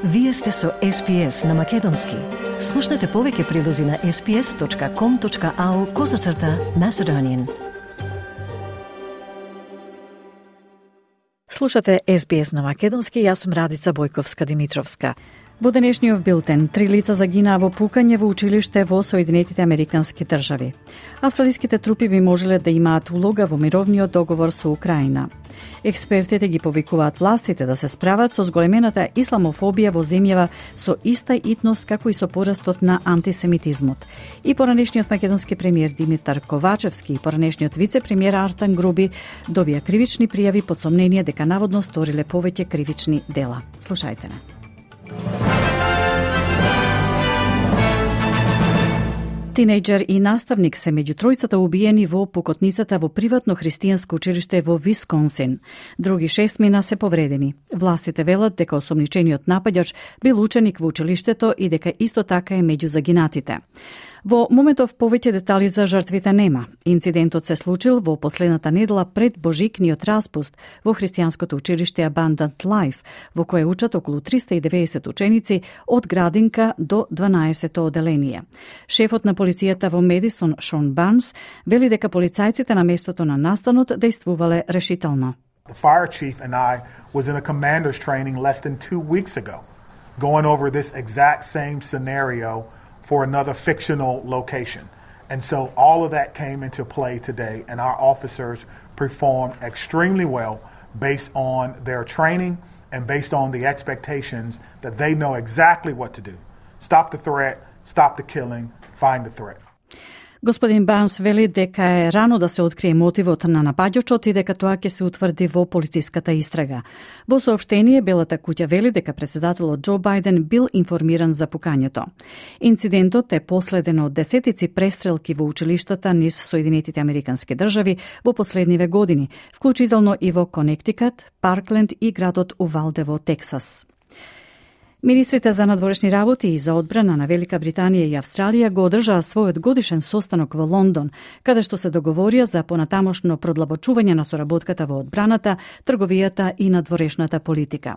Вие сте со SPS на Македонски. Слушнете повеќе прилози на sps.com.au/Macedonian. Слушате SBS на Македонски, јас сум Радица Бојковска-Димитровска. Во денешниот билтен, 3 лица загинаа во пукање во училиште во Соединетите Американски држави. Австралиските трупи би можеле да имаат улога во мировниот договор со Украина. Експертите ги повикуваат властите да се справат со зголемената исламофобија во земјава со иста итност како и со порастот на антисемитизмот. И поранешниот македонски премиер Димитар Ковачевски и поранешниот вице-премиер Артан Груби добија кривични пријави под сомнение дека наводно сториле повеќе кривични дела. Слушајте ме. Тинејџер и наставник се меѓу тројцата убиени во пукотницата во приватно христијанско училиште во Висконсин. Други 6 мина се повредени. Властите велат дека осомничениот напаѓач бил ученик во училиштето и дека исто така е меѓу загинатите. Во моментов повеќе детали за жртвите нема. Инцидентот се случил во последната недела пред божикниот распуст во христијанското училиште Abundant Life, во кое учат околу 390 ученици од градинка до 12-то оделение. Шефот на полицијата во Медисон, Шон Барнс, вели дека полицајците на местото на настанот действувале решително. The fire chief and I was in a commander's training less than 2 weeks ago, going over this exact same scenario for another fictional location. And so all of that came into play today, and our officers performed extremely well based on their training and based on the expectations that they know exactly what to do. Stop the threat, stop the killing, find the threat. Господин Барнс вели дека е рано да се открие мотивот на напаѓачот и дека тоа ќе се утврди во полициската истрага. Во соопштение, Белата куќа вели дека председателот Џо Бајден бил информиран за пукањето. Инцидентот е последен од десетици престрелки во училиштата низ Соединетите Американски држави во последниве години, вклучително и во Конектикат, Паркленд и градот Увалде во Тексас. Министрите за надворешни работи и за одбрана на Велика Британија и Австралија го одржаа својот годишен состанок во Лондон, каде што се договорија за понатамошно продлабочување на соработката во одбраната, трговијата и надворешната политика.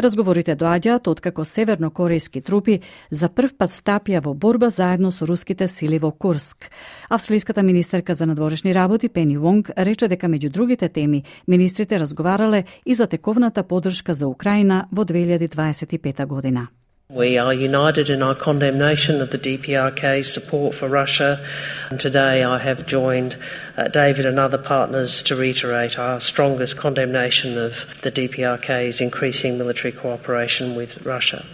Разговорите доаѓаат откако севернокорејски трупи за прв пат стапија во борба заедно со руските сили во Курск. Австралиската министерка за надворешни работи Пени Вонг рече дека меѓу другите теми министрите разговарале и за тековната поддршка за Украина во 2025 година. We are united in our condemnation of the DPRK's support for Russia. And today I have joined David and other partners to reiterate our strongest condemnation of the DPRK's increasing military cooperation with Russia.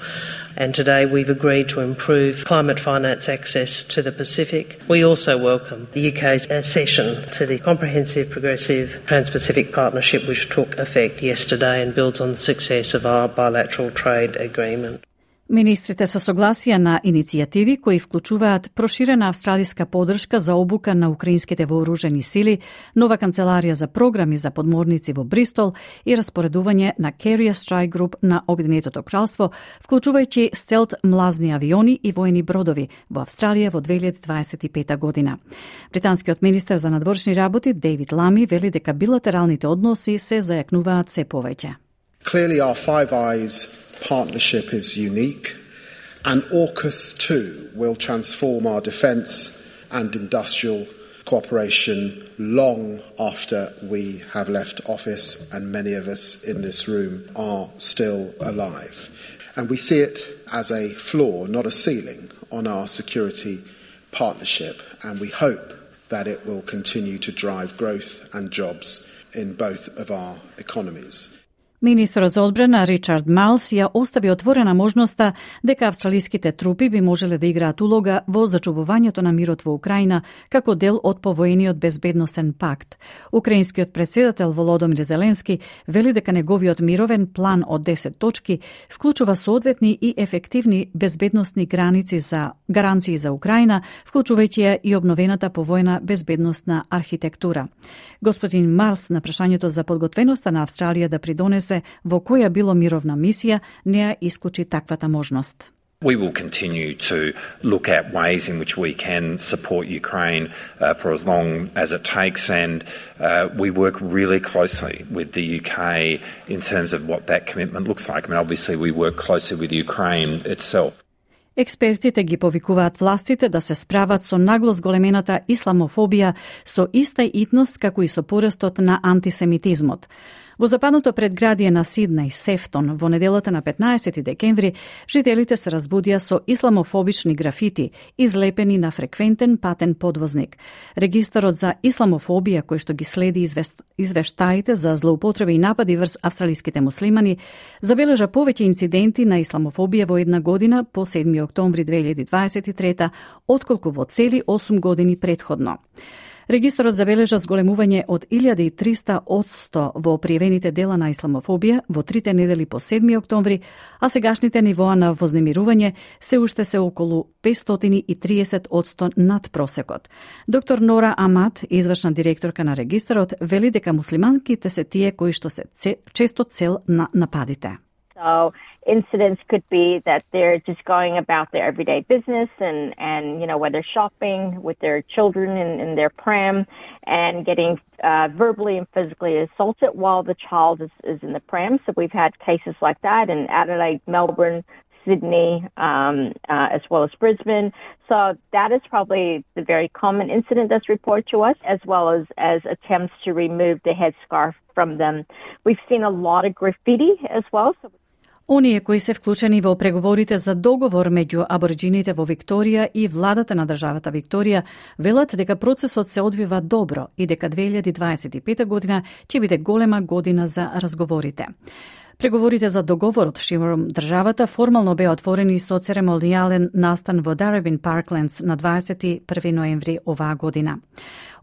And today we've agreed to improve climate finance access to the Pacific. We also welcome the UK's accession to the Comprehensive Progressive Trans-Pacific Partnership, which took effect yesterday and builds on the success of our bilateral trade agreement. Министрите се согласија на иницијативи кои вклучуваат проширена австралиска поддршка за обука на украинските вооружени сили, нова канцеларија за програми за подморници во Бристол и распоредување на Carrier Strike Group на Обединетото кралство, вклучувајќи стелт млазни авиони и воени бродови во Австралија во 2025 година. Британскиот министер за надворешни работи Дейвид Лами вели дека билатералните односи се зајакнуваат се повеќе. Clearly our Five Eyes partnership is unique, and AUKUS too will transform our defence and industrial cooperation long after we have left office and many of us in this room are still alive. And we see it as a floor, not a ceiling, on our security partnership, and we hope that it will continue to drive growth and jobs in both of our economies. Министерот за одбрана Ричард Малс ја остави отворена можноста дека австралиските трупи би можеле да играат улога во зачувувањето на мирот во Украина како дел од повоениот безбедносен пакт. Украинскиот председател Володомир Зеленски вели дека неговиот мировен план од 10 точки вклучува соодветни и ефективни безбедносни гаранции за Украина, вклучувајќи ја и обновената повоена безбедносна архитектура. Господин Малс на прашањето за подготвеноста на Австралија да придонесе во која било мировна мисија, не ја исклучи таквата можност. We will continue to look at ways in which we can support Ukraine for as long as it takes, and we work really closely with the UK in terms of what that commitment looks like. I mean, obviously we work closely with Ukraine itself. Експертите ги повикуваат властите да се справат со нагло зголемената исламофобија со иста итност како и со порастот на антисемитизмот. Во западното предградие на Сиднеј, Сефтон, во неделата на 15 декември, жителите се разбудија со исламофобични графити, излепени на фреквентен патен подвозник. Регистарот за исламофобија, кој што ги следи извештаите за злоупотреби и напади врз австралиските муслимани, забележа повеќе инциденти на исламофобија во една година по 7 октомври 2023, отколку во цели 8 години претходно. Регистарот забележа зголемување од 1300% во пријавените дела на исламофобија во 3 недели по 7 октомври, а сегашните нивоа на вознемирување се уште се околу 530% над просекот. Доктор Нора Амат, извршна директорка на регистарот, вели дека муслиманките се тие кои што се често цел на нападите. So incidents could be that they're just going about their everyday business and you know, whether shopping with their children in their pram and getting verbally and physically assaulted while the child is in the pram. So we've had cases like that in Adelaide, Melbourne, Sydney, as well as Brisbane. So that is probably the very common incident that's reported to us, as well as attempts to remove the headscarf from them. We've seen a lot of graffiti as well. So оние кои се вклучени во преговорите за договор меѓу абориџините во Викторија и владата на државата Викторија велат дека процесот се одвива добро и дека 2025 година ќе биде голема година за разговорите. Преговорите за договорот широм државата формално беа отворени со церемонијален настан во Дарабин Парклендс на 21 ноември оваа година.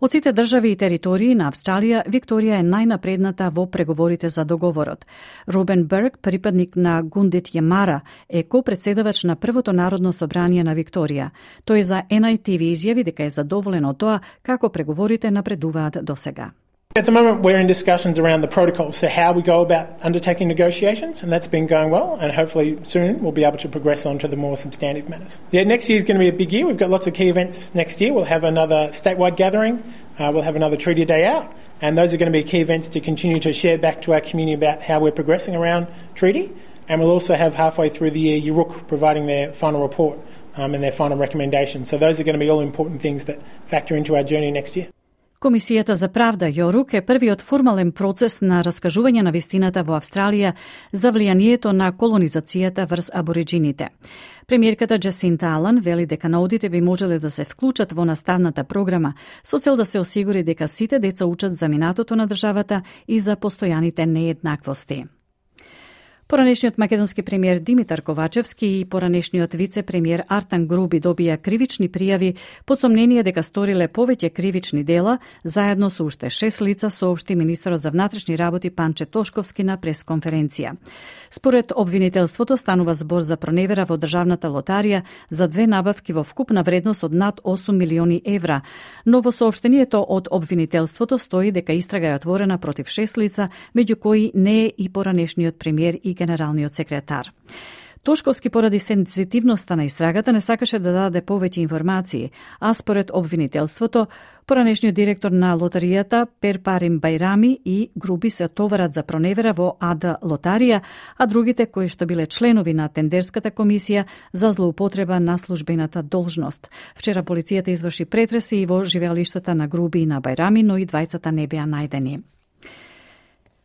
Од сите држави и територии на Австралија, Викторија е најнапредната во преговорите за договорот. Робен Берг, припадник на Гундит Јемара, е ко-председавач на Првото народно собрание на Викторија. Тој за NITV изјави дека е задоволен од тоа како преговорите напредуваат досега. At the moment, we're in discussions around the protocol, so how we go about undertaking negotiations, and that's been going well, and hopefully soon we'll be able to progress on to the more substantive matters. Yeah, next year is going to be a big year. We've got lots of key events next year. We'll have another statewide gathering. We'll have another Treaty Day Out, and those are going to be key events to continue to share back to our community about how we're progressing around treaty. And we'll also have halfway through the year Yuruk providing their final report and their final recommendations. So those are going to be all important things that factor into our journey next year. Комисијата за правда Јорук е првиот формален процес на раскажување на вистината во Австралија за влијанието на колонизацијата врз абориџините. Премиерката Джасинта Алан вели дека наудите би можеле да се вклучат во наставната програма со цел да се осигури дека сите деца учат за минатото на државата и за постојаните нееднаквости. Поранешниот македонски премиер Димитар Ковачевски и поранешниот вице-премиер Артан Груби добија кривични пријави под сомнение дека сториле повеќе кривични дела, заедно со уште 6 лица, соопшти министерот за внатрешни работи Панче Тошковски на пресконференција. Според обвинителството станува збор за проневера во државната лотарија за 2 набавки во вкупна вредност од над 8 милиони евра, но во соопштението од обвинителството стои дека истрага е отворена против 6 лица, меѓу кои не е и поранешниот премиер и генералниот секретар. Тошковски поради сензитивноста на истрагата не сакаше да даде повеќе информации, а според обвинителството, поранешниот директор на лотаријата Перпарим Байрами и Груби се товарат за проневера во АД Лотарија, а другите кои што биле членови на тендерската комисија за злоупотреба на службената должност. Вчера полицијата изврши претреси и во живеалиштата на Груби и на Байрами, но и двајцата не беа најдени.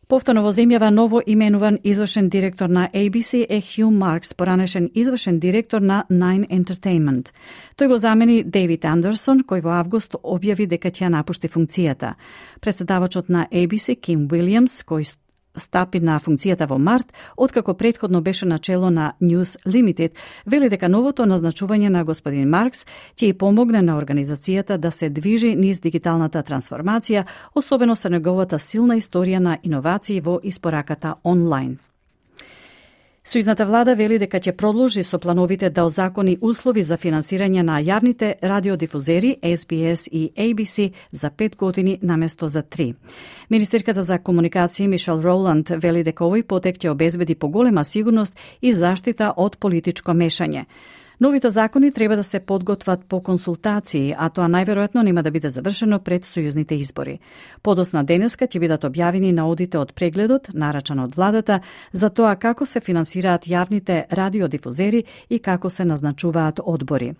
Повторно во земјава ново именуван извршен директор на ABC е Хју Маркс, поранешен извршен директор на Nine Entertainment. Тој го замени Дейвид Андерсон, кој во август објави дека ќе напушти функцијата. Председавачот на ABC, Ким Уилјамс, кој стапи на функцијата во март, откако претходно беше начело на News Limited, вели дека новото назначување на господин Маркс ќе и помогне на организацијата да се движи низ дигиталната трансформација, особено со неговата силна историја на иновации во испораката онлайн. Сојузната влада вели дека ќе продолжи со плановите да озакони услови за финансирање на јавните радиодифузери SBS и ABC за 5 години наместо за 3. Министерката за комуникација Мишел Роланд вели дека овој потек ќе обезбеди поголема сигурност и заштита од политичко мешање. Новите закони треба да се подготват по консултации, а тоа најверојатно нема да биде завршено пред сојузните избори. Подосна денеска ќе бидат објавени наодите од прегледот, нарачан од владата, за тоа како се финансираат јавните радиодифузери и како се назначуваат одбори.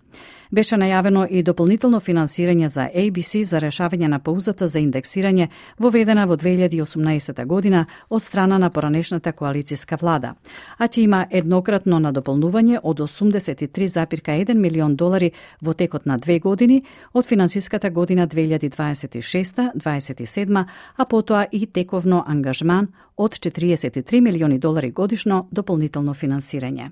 Беше најавено и дополнително финансирање за ABC за решавање на паузата за индексирање воведена во 2018 година од страна на поранешната коалицијска влада, а ќе има еднократно надополнување од 83,1 милион долари во текот на 2 години од финансиската година 2026-27, а потоа и тековно ангажман од 43 милиони долари годишно дополнително финансирање.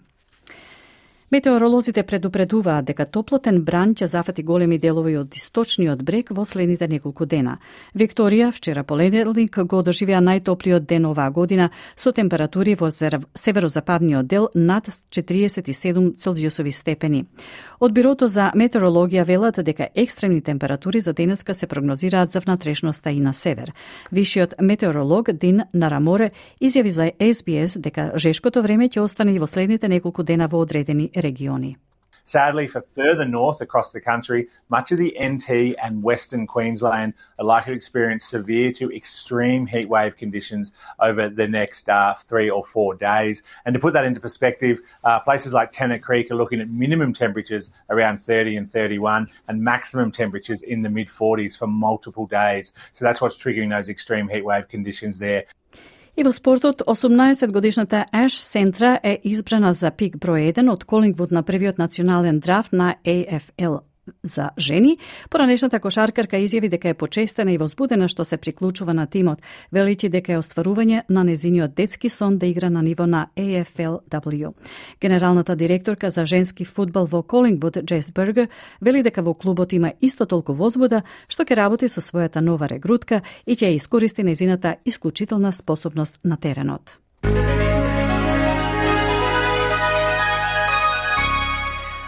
Метеоролозите предупредуваат дека топлотен бран ќе зафати големи делови од источниот брег во следните неколку дена. Викторија вчера понеделник го доживеа најтоплиот ден оваа година со температури во северозападниот дел над 47 целзиусови степени. Од Бирото за метеорологија велат дека екстремни температури за денеска се прогнозираат за внатрешноста и на север. Вишиот метеоролог Дин Нараморе изјави за SBS дека жешкото време ќе остане и во следните неколку дена во одредени региони. Sadly, for further north across the country, much of the NT and Western Queensland are likely to experience severe to extreme heatwave conditions over the next 3 or 4 days. And to put that into perspective, places like Tennant Creek are looking at minimum temperatures around 30 and 31 and maximum temperatures in the mid-40s for multiple days. So that's what's triggering those extreme heatwave conditions there. И во спортот, 18-годишната Аш Сентра е избрана за пик број 1 од Колингвуд на првиот национален драфт на AFL за жени. Поранешната кошаркарка изјави дека е почестена и возбудена што се приклучува на тимот, величи дека е остварување на незиниот детски сон да игра на ниво на AFLW. Генералната директорка за женски фудбал во Колингвуд, Джес Бергер, вели дека во клубот има исто толку возбуда што ќе работи со својата нова регрутка и ќе ја искористи незината исклучителна способност на теренот.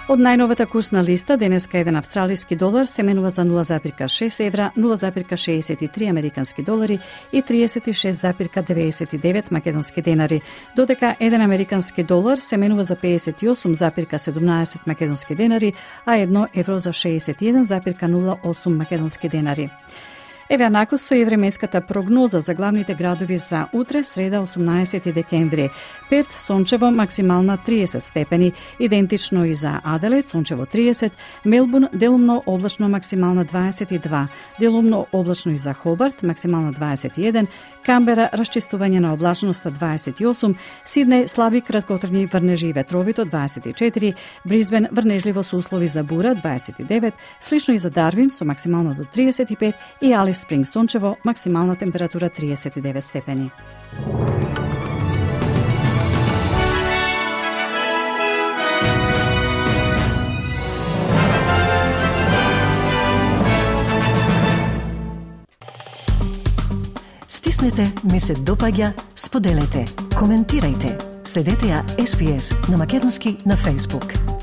Од најновата курсна листа, денеска еден австралиски долар се менува за 0,6 евра, 0,63 американски долари и 36,99 македонски денари, додека еден американски долар се менува за 58,17 македонски денари, а 1 евро за 61,08 македонски денари. Еве накус со временската прогноза за главните градови за утре, среда 18 декември. Перт сончево максимална 30 степени, идентично и за Аделаид сончево 30, Мелбурн делумно облачно максимална 22, делумно облачно и за Хобарт максимална 21, Камбера расчистување на облачноста 28, Сиднеј слаби краткотрajни врнежи и ветровито 24, Брисбен врнежливо со услови за бура 29, слично и за Дарвин со максимално до 35 и Алис Спринг сончево максимална температура 39 степени. Стиснете, ми се допаѓа, споделете, коментирајте. Следете ја SBS на Македонски на Facebook.